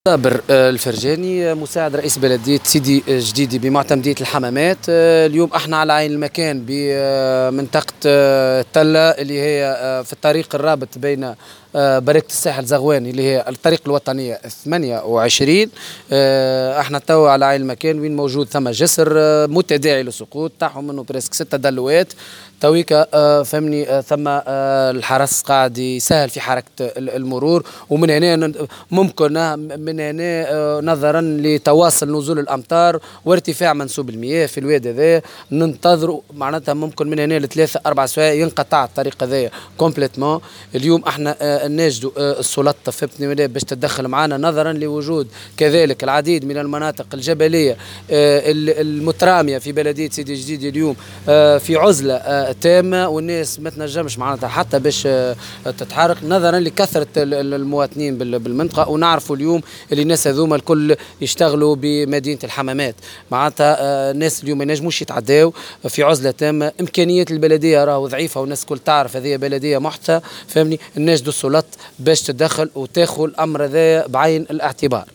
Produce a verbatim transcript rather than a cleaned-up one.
صابر الفرجاني، مساعد رئيس بلدية سيدي جديدي بمعتمدية الحمامات. اليوم احنا على عين المكان بمنطقة تلة اللي هي في الطريق الرابط بين بركة الساحل زغوان اللي هي الطريق الوطنية ثمانية وعشرين. احنا توا على عين المكان وين موجود ثم جسر متداعي للسقوط، طاحوا منه presque ستة دلوات تويكا، فهمني. ثم الحرس قاعد يسهل في حركة المرور، ومن هنا ممكن من هنا نظرا لتواصل نزول الامطار وارتفاع منسوب المياه في الواد هذا، ننتظروا معناتها ممكن من هنا لثلاثة اربع سوايع ينقطع الطريق هذايا complètement. اليوم احنا نناشدوا السلطة، فهمتني، باش تتدخل معنا نظرا لوجود كذلك العديد من المناطق الجبلية المتراميه في بلديه سيدي جديد اليوم في عزله تامه، والناس ما تنجمش معناتها حتى باش تتحرك نظرا لكثرة المواطنين بالمنطقه. ونعرفوا اليوم اللي الناس هذوما الكل يشتغلوا بمدينة الحمامات، معناتها الناس اليوم ما ينجموش يتعداو في عزله تامه. امكانيات البلدية راهو ضعيفة والناس الكل تعرف، هذه بلديه محدثه، فهمني. نناشدوا السلطات باش تدخل وتاخذ الامر هذا بعين الاعتبار.